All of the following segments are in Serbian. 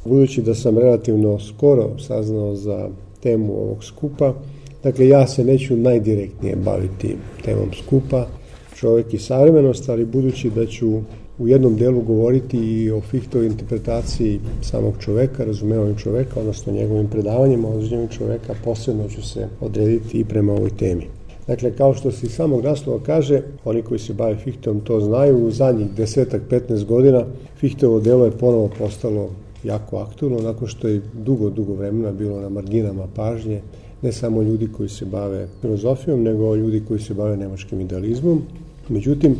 budući da sam relativno skoro saznao za temu ovog skupa, dakle ja se neću najdirektnije baviti temom skupa, čovjek i savremenost, ali budući da ću u jednom delu govoriti i o Fichtovoj interpretaciji samog čovjeka, razumevanju čovjeka, odnosno njegovim predavanjima o razumevanju čovjeka, posebno ću se odrediti i prema ovoj temi. Dakle, kao što se iz samog naslova kaže, oni koji se bave Fichtom to znaju, u zadnjih 10-15 godina Fichtovo delo je ponovo postalo jako aktualno, nakon što je dugo vremena bilo na marginama pažnje, ne samo ljudi koji se bave filozofijom, nego ljudi koji se bave nemačkim idealizmom. Međutim,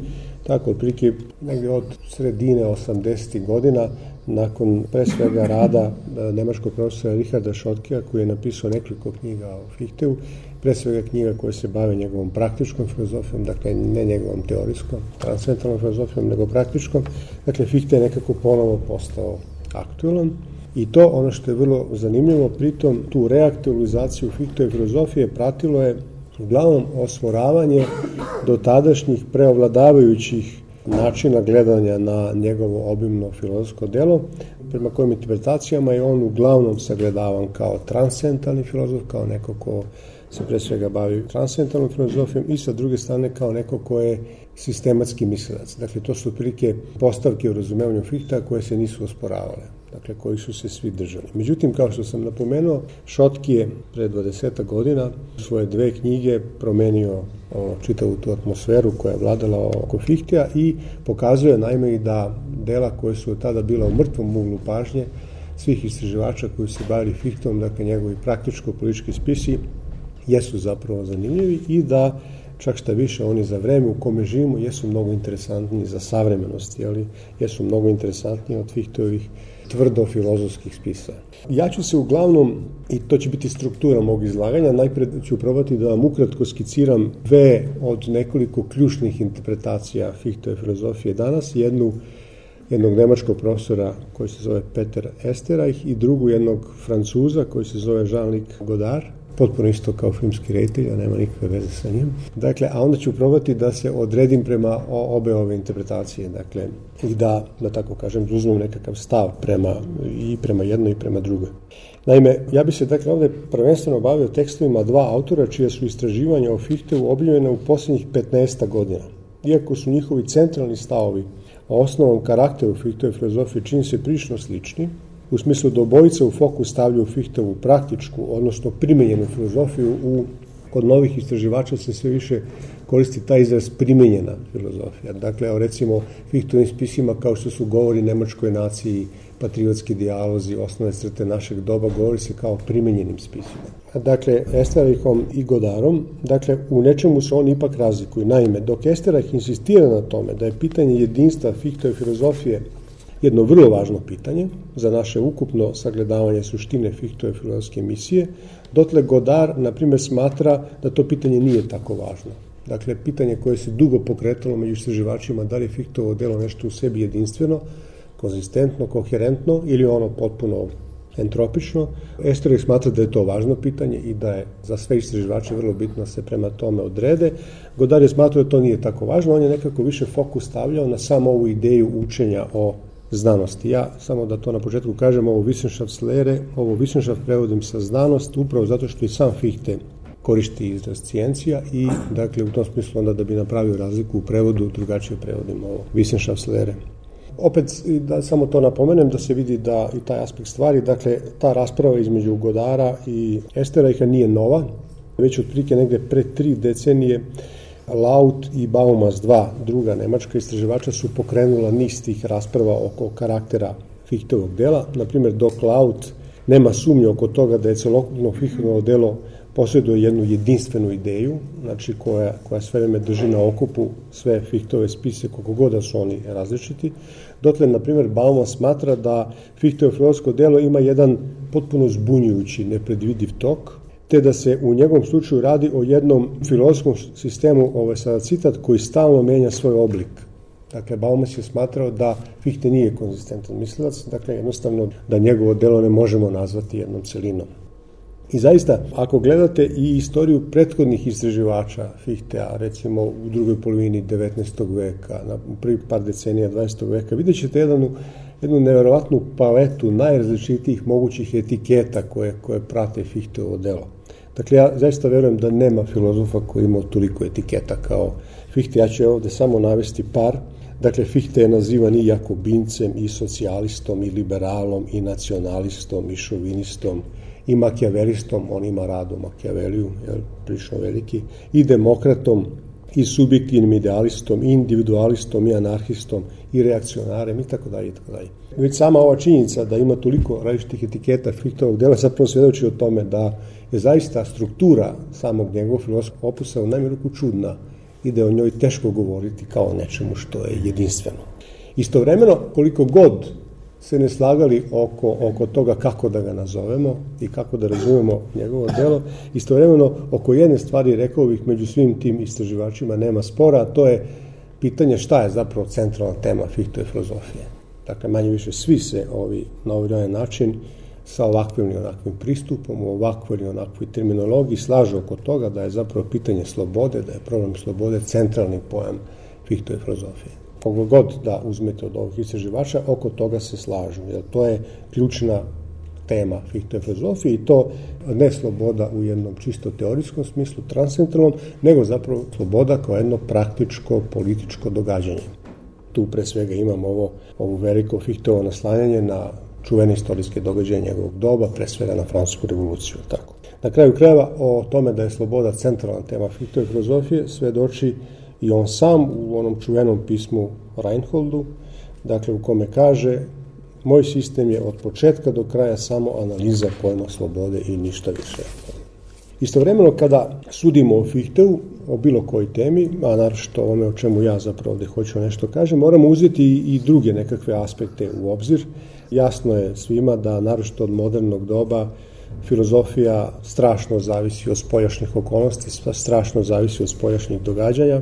tako otprilike negdje od sredine 80. godina, nakon pre svega rada nemačkog profesora Richarda Schottkeja, koji je napisao nekoliko knjiga o Fichtevu, pre svega knjiga koje se bave njegovom praktičkom filozofijom, dakle ne njegovom teorijskom, transcendentalnom filozofijom, nego praktičkom. Dakle, Fichte je nekako ponovo postao aktualan. I to, ono što je vrlo zanimljivo, pritom tu reaktualizaciju Fichtove filozofije pratilo je uglavnom osmoravanje do tadašnjih preovladavajućih načina gledanja na njegovo obimno filozofsko delo, prema kojim interpretacijama je on uglavnom sagledavan kao transcendentalni filozof, kao neko ko se pre svega bavi transcendentalnom filozofijom i sa druge strane kao neko ko je sistematski mislilac. Dakle, to su otprilike postavke u razumevanju Fichta koje se nisu osporavale, dakle, koji su se svi držali. Međutim, kao što sam napomenuo, Schottke je pre 20 godina u svoje 2 knjige promenio čitavu tu atmosferu koja je vladala oko Fichtea i pokazuje naime i da dela koje su od tada bila u mrtvom uglu pažnje svih istraživača koji se bavili Fichtom, dakle njegovi praktičko-politički spisi, jesu zapravo zanimljivi i da čak šta više oni za vreme u kome živimo jesu mnogo interesantniji za savremenost, jesu mnogo interesantniji od Fichtovih tvrdo filozofskih spisa. Ja ću se uglavnom, i to će biti struktura mog izlaganja, najpred ću probati da vam ukratko skiciram 2 od nekoliko ključnih interpretacija Fichtove filozofije danas, jednog nemačkog profesora koji se zove Peter Esterreich i drugu jednog Francuza koji se zove Jean-Luc Godard, potpuno isto kao filmski reditelj, a nema nikakve veze sa njim. Dakle, a onda ću probati da se odredim prema obe ove interpretacije, dakle, i da tako kažem, uzmem nekakav stav prema jednoj i prema drugoj. Naime, ja bi se dakle ovdje prvenstveno bavio tekstovima 2 autora čija su istraživanja o Fichtevu objavljena u posljednjih 15 godina. Iako su njihovi centralni stavovi o osnovnom karakteru Fichtove filozofije čini se prilično slični, u smislu da obojica u fokus stavljaju Fichtevu praktičku, odnosno primenjenu filozofiju, kod novih istraživača se sve više koristi taj izraz primenjena filozofija. Dakle, recimo Fichtovim spisima kao što su govori nemačkoj naciji, patriotski dijalozi, osnovne crte našeg doba, govori se kao primenjenim spisima. Dakle, Esterreichom i Godardom, dakle, u nečemu se oni ipak razlikuju. Naime, dok Esterreich insistira na tome da je pitanje jedinstva Fichtove filozofije jedno vrlo važno pitanje za naše ukupno sagledavanje suštine Fichtove filozofske misije, dotle Godard, na primjer, smatra da to pitanje nije tako važno. Dakle, pitanje koje se dugo pokretalo među istraživačima, da li je Fichtovo delo nešto u sebi jedinstveno, konzistentno, koherentno ili ono potpuno entropično. Esterreich smatra da je to važno pitanje i da je za sve istraživače vrlo bitno da se prema tome odrede. Godard je smatrao da to nije tako važno, on je nekako više fokus stavljao na samo ovu ideju učenja o znanosti. Ja, samo da to na početku kažem, ovo Wissenschaftslehre, ovo Wissenschaft prevodim sa znanost, upravo zato što i sam Fichte koristi izraz cijencija i, dakle, u tom smislu onda da bi napravio razliku u prevodu, drugačije prevodim ovo Wissenschaftslehre. Opet, da samo to napomenem, da se vidi da i taj aspekt stvari, dakle, ta rasprava između Godara i Esterreicha nije nova, već otprilike negdje pre 3 decenije Laut i Baumas, 2 druga nemačka istraživača, su pokrenula niz tih rasprava oko karaktera Fichtovog dela. Naprimjer, dok Laut nema sumnje oko toga da je celokupno Fichtovo delo posjeduje jednu jedinstvenu ideju, znači koja sve vreme drži na okupu sve Fichtove spise, koliko god da su oni različiti. Dotle, na primjer, Baumas smatra da Fichtovo filozofsko delo ima jedan potpuno zbunjujući, nepredvidiv tok, te da se u njegovom slučaju radi o jednom filozofskom sistemu, ovo je sada citat, koji stalno menja svoj oblik. Dakle, Baumas je smatrao da Fichte nije konzistentan mislilac, dakle, jednostavno da njegovo delo ne možemo nazvati jednom celinom. I zaista, ako gledate i istoriju prethodnih istraživača Fichtea, recimo u drugoj polovini 19. veka, na prvi par decenija 20. veka, vidjet ćete jednu nevjerovatnu paletu najrazličitijih mogućih etiketa koje prate Fichteovo delo. Dakle, ja zaista verujem da nema filozofa koji ima toliko etiketa kao Fichte. Ja ću ovdje samo navesti par. Dakle, Fichte je nazivan i jakobincem, i socijalistom, i liberalom, i nacionalistom, i šovinistom, i makijavelistom, on ima rad o Makijaveliju, prilično veliki, i demokratom, i subjektivnim idealistom, i individualistom, i anarhistom, i reakcionarem, i tako dalje, i tako dalje. Već sama ova činjenica da ima toliko različitih etiketa Fichteovog dela zapravo svjedoči o tome da je zaista struktura samog njegovog filozofskog opusa u najmanju ruku čudna i da je o njoj teško govoriti kao nečemu što je jedinstveno. Istovremeno, koliko god se ne slagali oko toga kako da ga nazovemo i kako da razumemo njegovo delo, istovremeno oko jedne stvari, rekao bih, među svim tim istraživačima nema spora, a to je pitanje šta je zapravo centralna tema Fichtove filozofije. Dakle, manje više svi se na ovaj način sa ovakvim ili onakvim pristupom, u ovakvoj ili onakvoj terminologiji slažu oko toga da je zapravo pitanje slobode, da je problem slobode centralni pojam Fichtove filozofije. Kogo god da uzmete od ovih istraživača, oko toga se slažu, jer to je ključna tema Fichtove filozofije i to ne sloboda u jednom čisto teorijskom smislu, transcendentalnom, nego zapravo sloboda kao jedno praktičko političko događanje. Tu pre svega imamo ovo veliko Fichteovo naslanjanje na čuvene istorijske događaje njegovog doba, pre svega na Francusku revoluciju. Tako. Na kraju krajeva o tome da je sloboda centralna tema Fichtove filozofije svedoči i on sam u onom čuvenom pismu Reinholdu, dakle u kome kaže: moj sistem je od početka do kraja samo analiza pojma slobode i ništa više. Istovremeno kada sudimo o Fichtevu, o bilo kojoj temi, a naročito ovome o čemu ja zapravo ovdje hoću nešto kažem, moramo uzeti i druge nekakve aspekte u obzir. Jasno je svima da naročito od modernog doba filozofija strašno zavisi od spoljašnjih okolnosti, strašno zavisi od spoljašnjih događanja.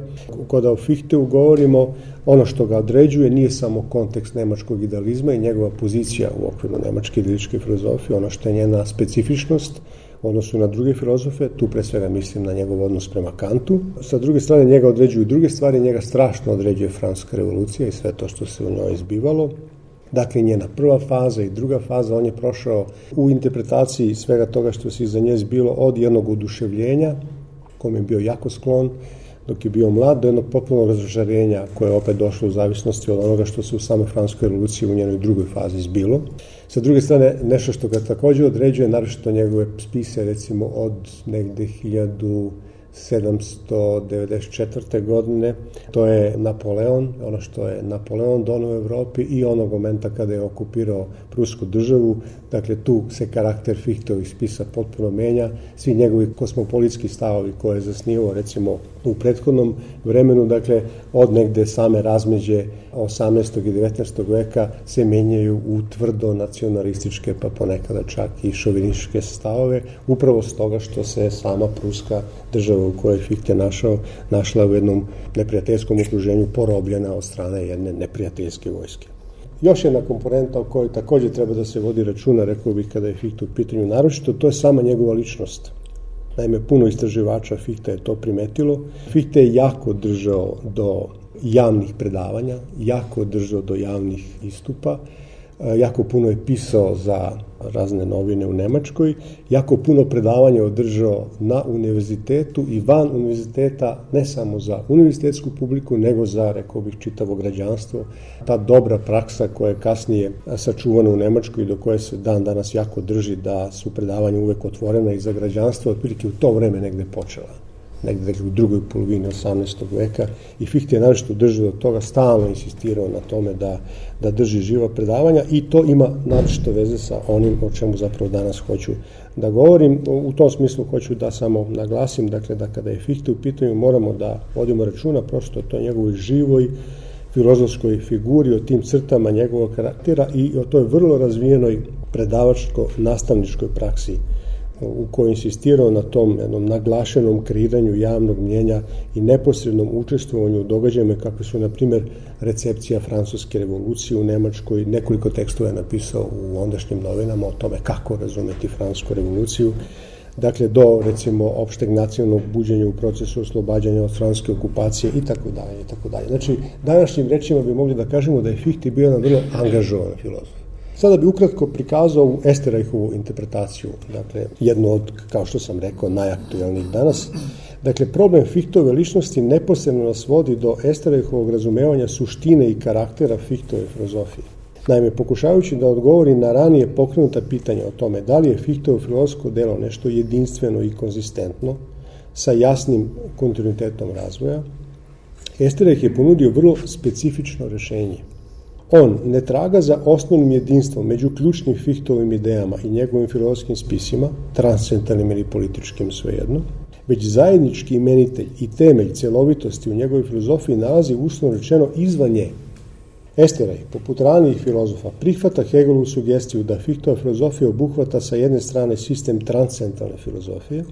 Kada o Fichtevu govorimo, ono što ga određuje nije samo kontekst nemačkog idealizma i njegova pozicija u okviru nemačke idealističke filozofije, ono što je njena specifičnost u odnosu na druge filozofe, tu pre svega mislim na njegov odnos prema Kantu. Sa druge strane njega određuju druge stvari, njega strašno određuje Francuska revolucija i sve to što se u njoj izbivalo. Dakle, njena prva faza i druga faza, on je prošao u interpretaciji svega toga što se iza nje zbilo od jednog oduševljenja, kome je bio jako sklon dok je bio mlad, do jednog potpunog razočarenja koje je opet došlo u zavisnosti od onoga što se u samoj Francuskoj revoluciji u njenoj drugoj fazi zbilo. Sa druge strane, nešto što ga također određuje, naročito njegove spise, recimo od negde 1794. godine, to je Napoleon, ono što je Napoleon donio u Evropi i onog momenta kada je okupirao Prusku državu. Dakle, tu se karakter Fichteovih spisa potpuno menja. Svi njegovi kosmopolitski stavovi koje je zasnivao, recimo, u prethodnom vremenu, dakle, od negde same razmeđe 18. i 19. veka se menjaju u tvrdo nacionalističke, pa ponekada čak i šovinističke stavove, upravo s toga što se sama Pruska država u kojoj Fichte našla u jednom neprijateljskom okruženju, porobljena od strane jedne neprijateljske vojske. Još jedna komponenta o kojoj također treba da se vodi računa, rekao bih, kada je Fichte u pitanju naročito, to je sama njegova ličnost. Naime, puno istraživača Fichte je to primetilo. Fichte je jako držao do javnih predavanja, jako držao do javnih istupa, jako puno je pisao za razne novine u Nemačkoj, jako puno predavanja održao na univerzitetu i van univerziteta, ne samo za univerzitetsku publiku, nego za, rekao bih, čitavo građanstvo. Ta dobra praksa koja je kasnije sačuvana u Nemačkoj i do koje se dan danas jako drži, da su predavanja uvek otvorena i za građanstvo, otprilike u to vreme negde počela. Negde u drugoj polovini 18. veka i Fichte je naročito držao do toga, stalno insistirao na tome da drži živa predavanja i to ima naročito veze sa onim o čemu zapravo danas hoću da govorim. U tom smislu hoću da samo naglasim, dakle, da kada je Fichte u pitanju moramo da vodimo računa prosto o toj njegovoj živoj filozofskoj figuri, o tim crtama njegovog karaktera i o toj vrlo razvijenoj predavačko-nastavničkoj praksi u kojoj insistirao na tom jednom naglašenom kreiranju javnog mnjenja i neposrednom učestvovanju u događajima kakve su, na primjer, recepcija Francuske revolucije u Nemačkoj. Nekoliko tekstova je napisao u ondašnjim novinama o tome kako razumeti Francusku revoluciju. dakle do recimo opšteg nacionalnog buđenja u procesu oslobađanja od francuske okupacije i tako dalje. Znači, današnjim rečima bi mogli da kažemo da je Fichte bio jedan vrlo angažovan filozof. Sada bi ukratko prikazao u Esterreichovu interpretaciju, dakle jednu od, kao što sam rekao, najaktuelnijih danas. Dakle, problem Fichtove ličnosti neposredno nas vodi do Esterreichovog razumevanja suštine i karaktera Fichtove filozofije. Naime, pokušavajući da odgovori na ranije pokrenuta pitanja o tome da li je Fichtevo filozofsko delo nešto jedinstveno i konzistentno, sa jasnim kontinuitetom razvoja, Esterreich je ponudio vrlo specifično rešenje. On ne traga za osnovnim jedinstvom među ključnim Fichtovim idejama i njegovim filozofskim spisima, transcendentalnim ili političkim svejedno, već zajednički imenitelj i temelj celovitosti u njegovoj filozofiji nalazi uslovno rečeno izvan nje. Esterreich, poput ranijih filozofa, prihvata Hegelovu sugestiju da Fichtova filozofija obuhvata sa jedne strane sistem transcendentalne filozofije,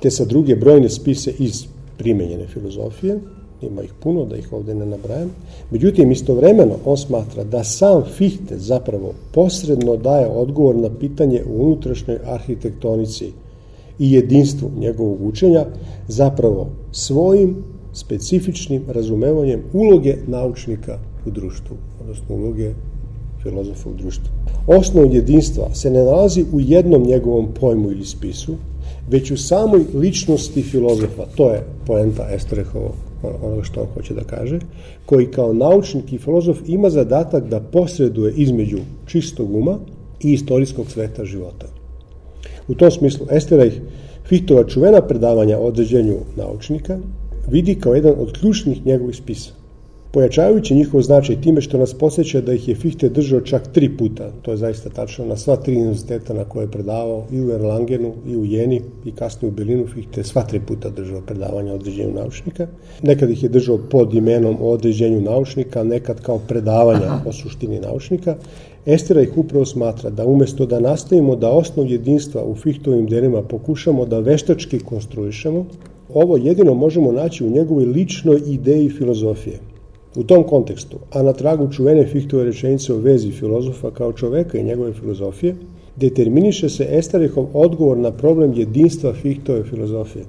te sa druge brojne spise iz primenjene filozofije, ima ih puno, da ih ovdje ne nabrajam. Međutim, istovremeno on smatra da sam Fichte zapravo posredno daje odgovor na pitanje u unutrašnjoj arhitektonici i jedinstvu njegovog učenja, zapravo svojim specifičnim razumevanjem uloge naučnika u društvu, odnosno uloge filozofa u društvu. Osnov jedinstva se ne nalazi u jednom njegovom pojmu ili spisu, već u samoj ličnosti filozofa, to je poenta Esterreichovog, onoga što on hoće da kaže, koji kao naučnik i filozof ima zadatak da posreduje između čistog uma i istorijskog sveta života. U tom smislu Esterreich Fichtova čuvena predavanja o određenju naučnika vidi kao jedan od ključnih njegovih spisa, pojačavajući njihov značaj time što nas podsjeća da ih je Fichte držao čak 3 puta, to je zaista tačno, na sva 3 univerziteta na koje je predavao, i u Erlangenu, i u Jeni, i kasnije u Berlinu. Fichte sva 3 puta držao predavanja o određenju naučnika. Nekad ih je držao pod imenom o određenju naučnika, nekad kao predavanja o suštini naučnika. Esterreich upravo smatra da umjesto da nastavimo da osnov jedinstva u Fichtovim delima pokušamo da veštački konstruišemo, ovo jedino možemo naći u njegovoj ličnoj ideji filozofije. U tom kontekstu, a na tragu čuvene Fichtove rečenice o vezi filozofa kao čoveka i njegove filozofije, determiniše se Esterreichov odgovor na problem jedinstva Fichtove filozofije.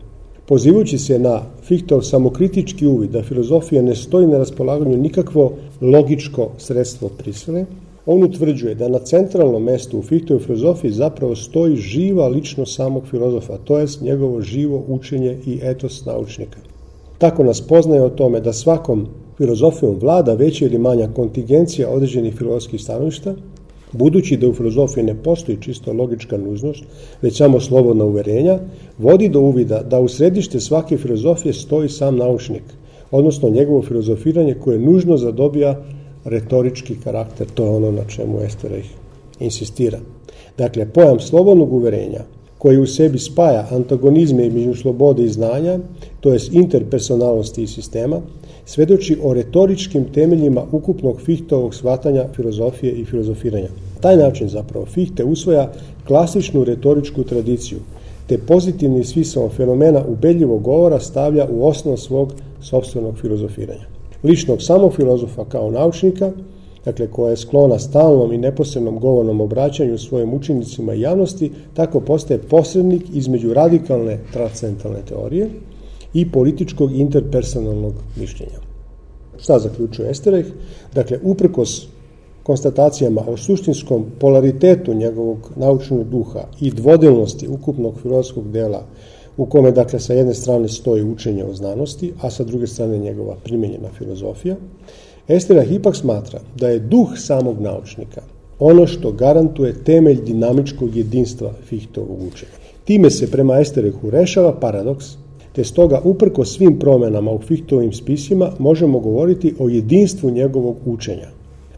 Pozivajući se na Fichtov samokritički uvid da filozofija ne stoji na raspolaganju nikakvo logičko sredstvo prisile, on utvrđuje da na centralnom mestu u Fichtovoj filozofiji zapravo stoji živa ličnost samog filozofa, to jest njegovo živo učenje i etos naučnika. Tako nas poznaje o tome da svakom filozofijom vlada veća ili manja kontingencija određenih filozofskih stanovišta, budući da u filozofiji ne postoji čisto logička nužnost, već samo slobodna uverenja, vodi do uvida da u središte svake filozofije stoji sam naučnik, odnosno njegovo filozofiranje koje nužno zadobija retorički karakter, to je ono na čemu Esterreich insistira. Dakle, pojam slobodnog uverenja, koji u sebi spaja antagonizme između slobode i znanja, to jest interpersonalnosti i sistema, svedoči o retoričkim temeljima ukupnog Fichtovog shvatanja filozofije i filozofiranja. Taj način zapravo Fichte usvaja klasičnu retoričku tradiciju, te pozitivni smisao fenomena ubedljivog govora stavlja u osnov svog sopstvenog filozofiranja. Ličnog samog filozofa kao naučnika, dakle koja je sklona stalnom i neposrednom govornom obraćanju svojim učenicima i javnosti, tako postaje posrednik između radikalne transcendentalne teorije i političkog interpersonalnog mišljenja. Šta zaključuje Esterreich? Dakle, uprkos konstatacijama o suštinskom polaritetu njegovog naučnog duha i dvodelnosti ukupnog filozofskog dela, u kome, dakle, sa jedne strane stoji učenje o znanosti, a sa druge strane njegova primenjena filozofija, Esterreich ipak smatra da je duh samog naučnika ono što garantuje temelj dinamičkog jedinstva Fichtovog učenja. Time se prema Esterreichu rešava paradoks, te stoga uprko svim promjenama u Fichtovim spisima možemo govoriti o jedinstvu njegovog učenja.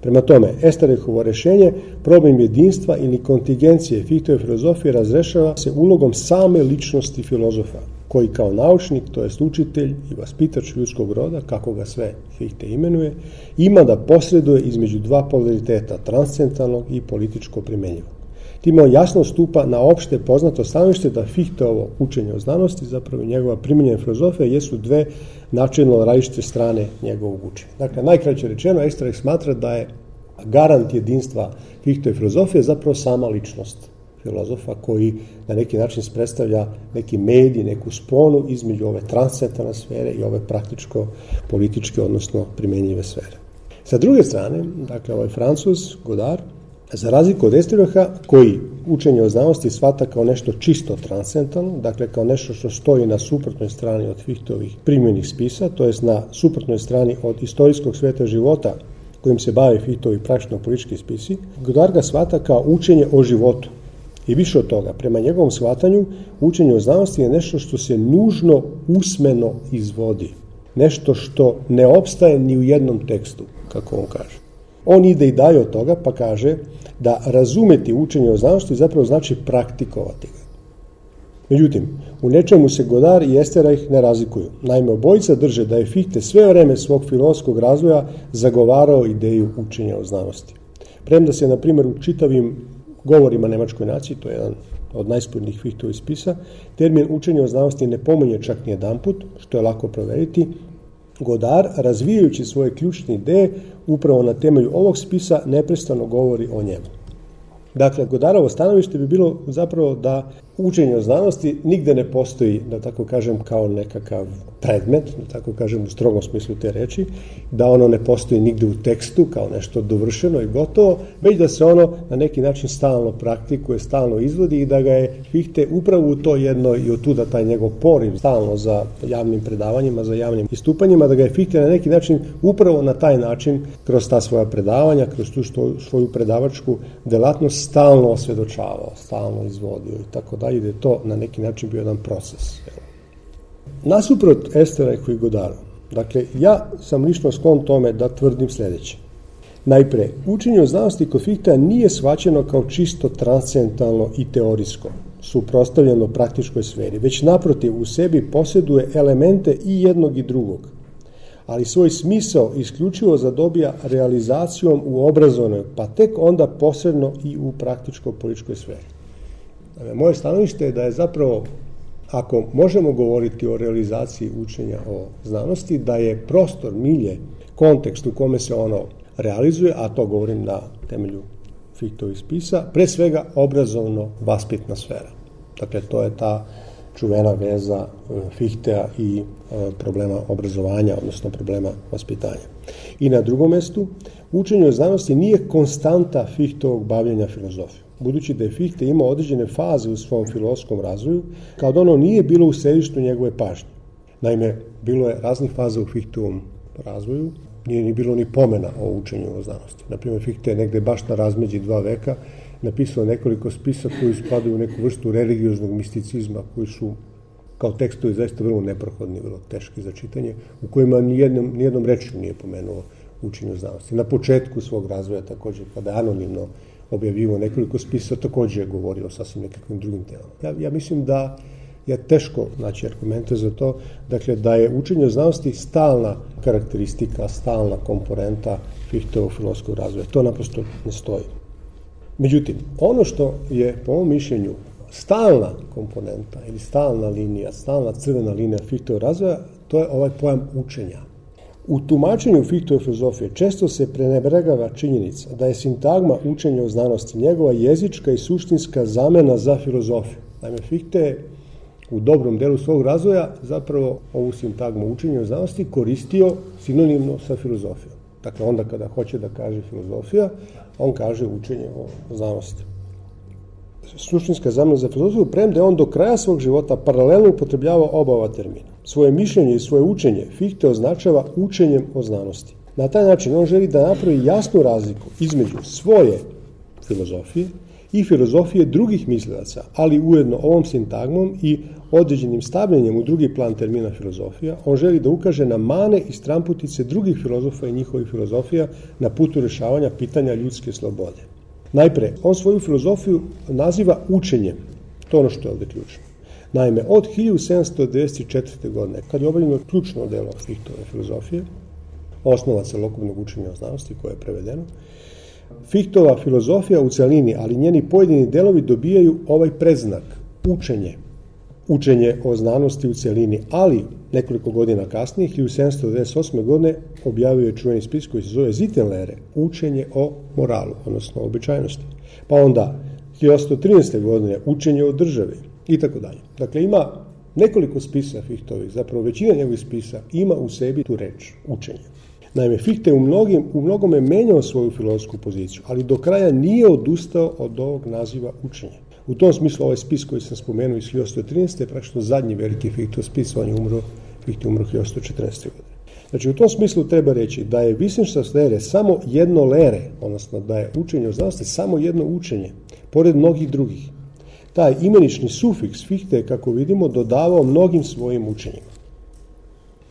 Prema tome, Esterreichovo rešenje, problem jedinstva ili kontingencije Fichtove filozofije razrešava se ulogom same ličnosti filozofa, koji kao naučnik, to jest učitelj i vaspitač ljudskog roda, kako ga sve Fichte imenuje, ima da posreduje između dva polariteta, transcendentalnog i političko primenjivog. Time on jasno stupa na opšte poznato stanovište da Fichteovo učenje o znanosti, zapravo njegova primenjena filozofija, jesu dve načelno različite strane njegovog učenja. Dakle, najkraće rečeno, Esterreich smatra da je garant jedinstva Fichtove filozofije zapravo sama ličnost filozofa koji na neki način predstavlja neki medij, neku sponu između ove transcendentalne sfere i ove praktičko-političke, odnosno primjenjive sfere. Sa druge strane, dakle, ovaj Francuz, Godard, za razliku od Estebaha, koji učenje o znanosti shvata kao nešto čisto transcendentalno, dakle kao nešto što stoji na suprotnoj strani od Fichteovih primjenih spisa, to jest na suprotnoj strani od istorijskog sveta života kojim se bave Fichteovi praktično-politički spisi, Godard ga shvata kao učenje o životu. I više od toga, prema njegovom shvatanju, učenje o znanosti je nešto što se nužno usmeno izvodi. Nešto što ne opstaje ni u jednom tekstu, kako on kaže. On ide i dalje od toga pa kaže da razumeti učenje o znanosti zapravo znači praktikovati ga. Međutim, u nečemu se Godard i Esterreich ne razlikuju. Naime, obojica drže da je Fichte sve vreme svog filozofskog razvoja zagovarao ideju učenja o znanosti. Premda se, na primjer, u čitavim govorima nemačkoj naciji, to je jedan od najspornijih Fichteovih spisa, termin učenje o znanosti ne pominje čak ni jedanput, što je lako proveriti. Godard, razvijajući svoje ključne ideje, upravo na temelju ovog spisa neprestano govori o njemu. Dakle, Godardovo stanovište bi bilo zapravo da učenje o znanosti nigde ne postoji, da tako kažem, kao nekakav predmet, da tako kažem u strogom smislu te reči, da ono ne postoji nigde u tekstu kao nešto dovršeno i gotovo, već da se ono na neki način stalno praktikuje, stalno izvodi i da ga je Fichte upravo u to jedno i otuda taj njegov poriv stalno za javnim predavanjima, za javnim istupanjima, da ga je Fichte na neki način upravo na taj način kroz ta svoja predavanja, kroz tu svoju predavačku delatnost stalno osvjedočavao, stalno izvodio i tako dalje, da je to na neki način bio jedan proces. Nasuprot Esterreichu i Godardu, dakle, ja sam lično sklon tome da tvrdim sljedeće. Najpre, učenje o znanosti kod Fichtea nije shvaćeno kao čisto transcendentalno i teorijsko, suprotstavljeno praktičkoj sferi, već naprotiv u sebi posjeduje elemente i jednog i drugog, ali svoj smisao isključivo zadobija realizacijom u obrazovnoj, pa tek onda posredno i u praktičko-političkoj sferi. Moje stanovište je da je zapravo, ako možemo govoriti o realizaciji učenja o znanosti, da je prostor, milje, kontekst u kome se ono realizuje, a to govorim na temelju Fichteovih spisa, pre svega obrazovno-vaspitna sfera. Dakle, to je ta čuvena veza Fichtea i problema obrazovanja, odnosno problema vaspitanja. I na drugom mestu, učenje o znanosti nije konstanta Fichteovog bavljenja filozofijom. Budući da je Fichte imao određene faze u svom filozofskom razvoju, kao da ono nije bilo u središtu njegove pažnje. Naime, bilo je raznih faza u Fichteovom razvoju, nije ni bilo ni pomena o učenju o znanosti. Naprimjer, Fichte je negde baš na razmeđi 2 veka napisao nekoliko spisa koji spadaju u neku vrstu religioznog misticizma, koji su kao tekstovi zaista vrlo neprohodni, vrlo teški za čitanje, u kojima nijednom rečju nije pomenuo učenje o znanosti. Na početku svog razvoja također, kada je anonimno objavio nekoliko spisa, također je govorio o sasvim nekakvim drugim temama. Ja mislim da je teško naći argumente za to, dakle da je učenje o znanosti stalna karakteristika, stalna komponenta Fichteovog filozofskog razvoja. To naprosto ne stoji. Međutim, ono što je po mom mišljenju stalna komponenta ili stalna linija, stalna crvena linija Fichteovog razvoja, to je ovaj pojam učenja. U tumačenju Fichteove filozofije često se prenebregava činjenica da je sintagma učenja o znanosti njegova jezička i suštinska zamena za filozofiju. Naime, Fichte je u dobrom delu svog razvoja zapravo ovu sintagmu učenja o znanosti koristio sinonimno sa filozofijom. Dakle, onda kada hoće da kaže filozofija, on kaže učenje o znanosti. Suštinska zamena za filozofiju, premda je on do kraja svog života paralelno upotrebljavao oba ova termina. Svoje mišljenje i svoje učenje Fichte označava učenjem o znanosti. Na taj način on želi da napravi jasnu razliku između svoje filozofije i filozofije drugih mislilaca, ali ujedno ovom sintagmom i određenim stavljanjem u drugi plan termina filozofija, on želi da ukaže na mane i stramputice drugih filozofa i njihovih filozofija na putu rješavanja pitanja ljudske slobode. Najpre, on svoju filozofiju naziva učenjem. To je ono što je ovdje ključno. Naime, od 1794. godine, kad je objavljeno ključno delo Fichtove filozofije, osnova celokupnog učenja o znanosti koje je prevedeno, Fichtova filozofija u celini, ali njeni pojedini delovi dobijaju ovaj predznak, učenje. Učenje o znanosti u celini, ali nekoliko godina kasnije, 1798. godine, objavio je čuveni spis koji se zove Zittenlehre, učenje o moralu, odnosno običajnosti. Pa onda, 1113. godine učenje o državi i tako dalje. Dakle, ima nekoliko spisa Fichtovih, zapravo većina njegovih spisa ima u sebi tu reč, učenje. Naime, Fichte u mnogome menjao svoju filozofsku poziciju, ali do kraja nije odustao od ovog naziva učenje. U tom smislu ovaj spis koji sam spomenuo iz 1113. je praktično zadnji veliki Fichtov spis, Fichte umro 1114. godine. Znači, u tom smislu treba reći da je Wissenschaft lehre samo jedno lehre, odnosno da je učenje o znanosti samo jedno učenje, pored mnogih drugih. Taj imenični sufiks Fichte je, kako vidimo, dodavao mnogim svojim učenjima.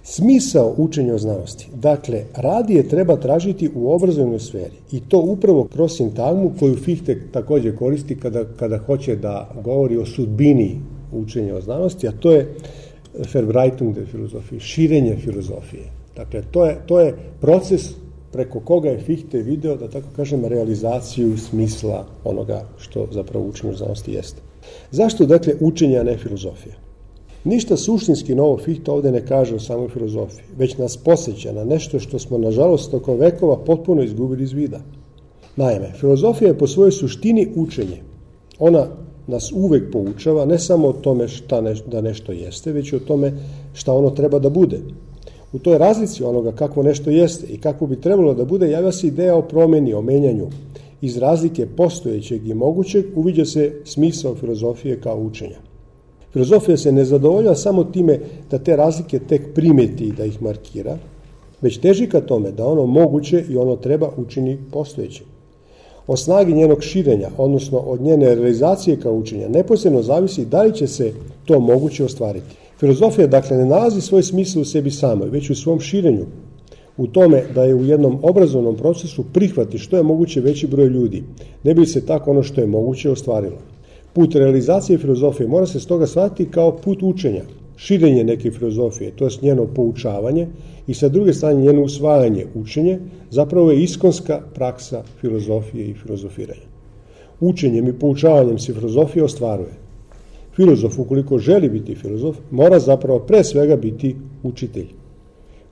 Smisao učenja o znanosti, dakle, radije treba tražiti u obrazovnoj sferi i to upravo kroz sintagmu koju Fichte također koristi kada hoće da govori o sudbini učenja o znanosti, a to je Verbreitung der Philosophie, širenje filozofije. Dakle, to je proces preko koga je Fichte video, da tako kažem, realizaciju smisla onoga što zapravo učenje o znanosti jeste. Zašto, dakle, učenje, a ne filozofija? Ništa suštinski novo Fichte ovdje ne kaže o samoj filozofiji, već nas podsjeća na nešto što smo, nažalost, tokom vekova potpuno izgubili iz vida. Naime, filozofija je po svojoj suštini učenje. Ona nas uvek poučava ne samo o tome da nešto jeste, već i o tome šta ono treba da bude. U toj razlici onoga kakvo nešto jeste i kako bi trebalo da bude, javlja se ideja o promjeni, o menjanju. Iz razlike postojećeg i mogućeg uviđa se smisao filozofije kao učenja. Filozofija se ne zadovoljava samo time da te razlike tek primeti i da ih markira, već teži ka tome da ono moguće i ono treba učini postojećim. Od snagi njenog širenja, odnosno od njene realizacije kao učenja, neposredno zavisi da li će se to moguće ostvariti. Filozofija, dakle, ne nalazi svoj smisao u sebi samoj, već u svom širenju, u tome da je u jednom obrazovnom procesu prihvati što je moguće veći broj ljudi, ne bi se tako ono što je moguće ostvarilo. Put realizacije filozofije mora se stoga shvatiti kao put učenja, širenje neke filozofije, to je njeno poučavanje i sa druge strane njeno usvajanje, učenje, zapravo je iskonska praksa filozofije i filozofiranja. Učenjem i poučavanjem se filozofija ostvaruje. Filozof, ukoliko želi biti filozof, mora zapravo pre svega biti učitelj.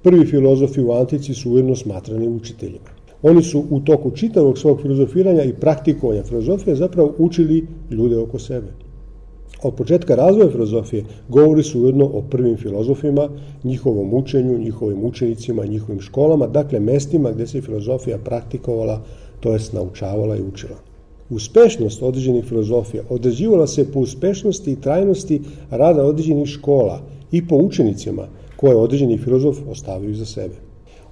Prvi filozofi u antici su ujedno smatrani učiteljima. Oni su u toku čitavog svog filozofiranja i praktikovanja filozofije zapravo učili ljude oko sebe. Od početka razvoja filozofije govori su ujedno o prvim filozofima, njihovom učenju, njihovim učenicima, njihovim školama, dakle mestima gdje se filozofija praktikovala, to jest naučavala i učila. Uspešnost određenih filozofija određivala se po uspešnosti i trajnosti rada određenih škola i po učenicima koje određeni filozof ostavio za sebe.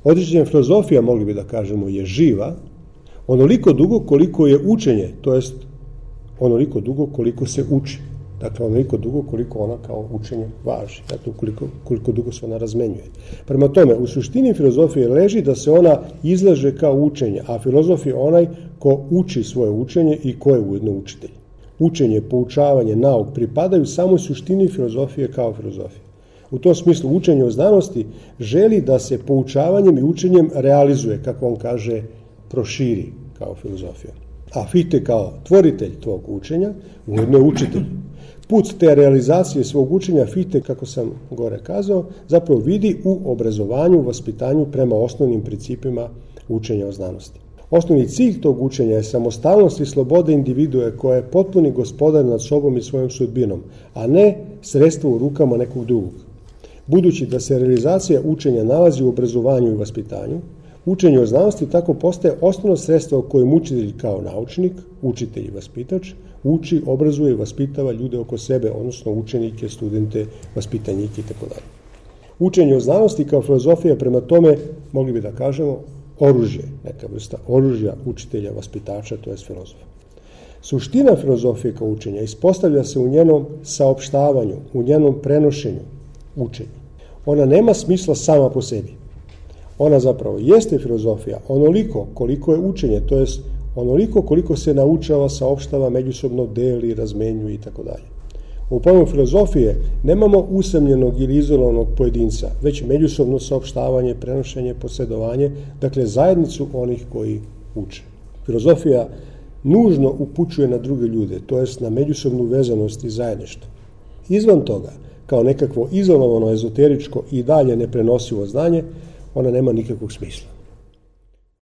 Određena filozofija, mogli bi da kažemo, je živa onoliko dugo koliko je učenje, to jest onoliko dugo koliko se uči. Dakle, onoliko dugo koliko ona kao učenje važi, dakle, koliko dugo se ona razmenjuje. Prema tome, u suštini filozofije leži da se ona izlaže kao učenje, a filozof je onaj ko uči svoje učenje i ko je ujedno učitelj. Učenje, poučavanje, nauk pripadaju samoj suštini filozofije kao filozofije. U tom smislu učenje o znanosti želi da se poučavanjem i učenjem realizuje, kako on kaže, proširi kao filozofija. A Fichte kao tvoritelj tvog učenja ujedno je učitelj. Put te realizacije svog učenja Fichte, kako sam gore kazao, zapravo vidi u obrazovanju, vaspitanju prema osnovnim principima učenja o znanosti. Osnovni cilj tog učenja je samostalnost i sloboda individue koja je potpuni gospodar nad sobom i svojom sudbinom, a ne sredstvo u rukama nekog drugog. Budući da se realizacija učenja nalazi u obrazovanju i vaspitanju, učenje o znanosti tako postaje osnovno sredstvo kojim učitelj kao naučnik, učitelj i vaspitač, uči, obrazuje i vaspitava ljude oko sebe, odnosno učenike, studente, vaspitanjike itd. Učenje o znanosti kao filozofija prema tome, mogli bi da kažemo, oružje, neka vrsta oružja učitelja, vaspitača, to je filozofa. Suština filozofije kao učenja ispostavlja se u njenom saopštavanju, u njenom prenošenju učenja. Ona nema smisla sama po sebi. Ona zapravo jeste filozofija onoliko koliko je učenje, to jest onoliko koliko se naučava, saopštava, međusobno deli, razmenjuje itd. U pojmu filozofije nemamo usamljenog ili izolovanog pojedinca, već međusobno saopštavanje, prenošenje, posjedovanje, dakle zajednicu onih koji uče. Filozofija nužno upućuje na druge ljude, to jest na međusobnu vezanost i zajedništvo. Izvan toga, kao nekakvo izolovano, ezoteričko i dalje neprenosivo znanje, ona nema nikakvog smisla.